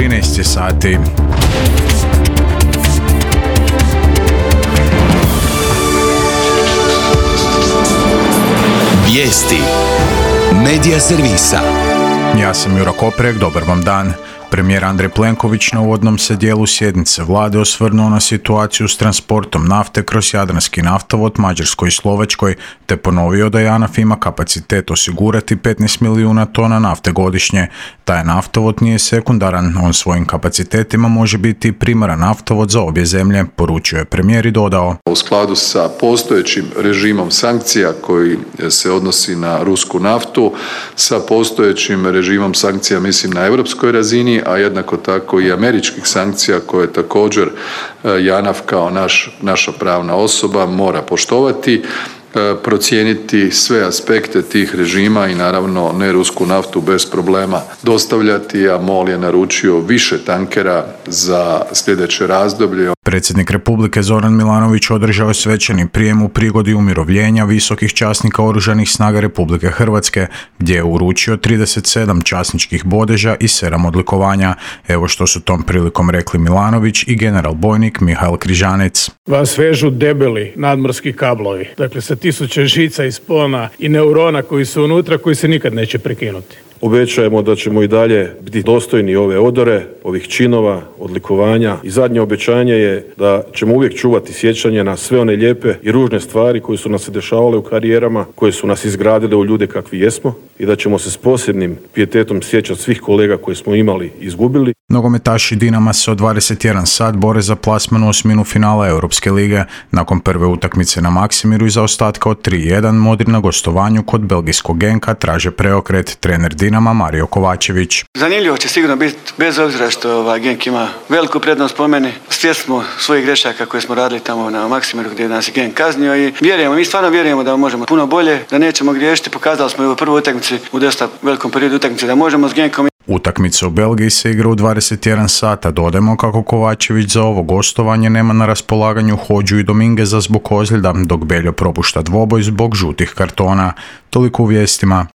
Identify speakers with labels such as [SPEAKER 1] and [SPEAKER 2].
[SPEAKER 1] 13 sati.
[SPEAKER 2] Vijesti Medija servisa.
[SPEAKER 1] Ja sam Juro Koprek, dobar vam dan. Premijer Andrej Plenković na uvodnom se dijelu sjednice vlade osvrnuo na situaciju s transportom nafte kroz Jadranski naftovod Mađarskoj i Slovačkoj, te ponovio da JANAF ima kapacitet osigurati 15 milijuna tona nafte godišnje. Taj naftovod nije sekundaran, on svojim kapacitetima može biti primaran naftovod za obje zemlje, poručio je premijer i dodao.
[SPEAKER 3] U skladu sa postojećim režimom sankcija koji se odnosi na rusku naftu, sa postojećim režimom sankcija mislim na europskoj razini, a jednako tako i američkih sankcija koje također JANAF kao naša pravna osoba mora poštovati, procijeniti sve aspekte tih režima i naravno ne rusku naftu bez problema dostavljati, a MOL je naručio više tankera za sljedeće razdoblje.
[SPEAKER 1] Predsjednik Republike Zoran Milanović održao je svečani prijem u prigodi umirovljenja visokih časnika Oružanih snaga Republike Hrvatske, gdje je uručio 37 časničkih bodeža i 7 odlikovanja. Evo što su tom prilikom rekli Milanović i general bojnik Mihael Križanec.
[SPEAKER 4] Vas vežu debeli nadmorski kablovi, dakle sa 1000 žica i spona i neurona koji su unutra, koji se nikad neće prekinuti.
[SPEAKER 5] Obećajemo da ćemo i dalje biti dostojni ove odore, ovih činova, odlikovanja i zadnje obećanje je da ćemo uvijek čuvati sjećanje na sve one lijepe i ružne stvari koje su nas se dešavale u karijerama, koje su nas izgradile u ljude kakvi jesmo i da ćemo se s posebnim pijetetom sjećati svih kolega koje smo imali i izgubili.
[SPEAKER 1] Nogometaši Dinama se od 21 sat bore za plasman u osminu finala Europske lige. Nakon prve utakmice na Maksimiru i zaostatka od 3-1 Modri na gostovanju kod belgijskog Genka traže preokret. Trener Dinama Mario Kovačević.
[SPEAKER 6] Zanimljivo će sigurno biti, bez obzira što Genk ima veliku prednost po meni. Svjesni smo svojih grešaka koje smo radili tamo na Maksimiru gdje nas je Genk kaznio i mi stvarno vjerujemo da možemo puno bolje, da nećemo griješiti. Pokazali smo i u prvoj utakmici, u dosta velikom periodu utakmice da možemo s Genkom.
[SPEAKER 1] Utakmica u Belgiji se igra u 21 sata. Dodajmo kako Kovačević za ovo gostovanje nema na raspolaganju Hodžu i Domingeza zbog ozljeda, dok Beljo propušta dvoboj zbog žutih kartona. Toliko u vijestima.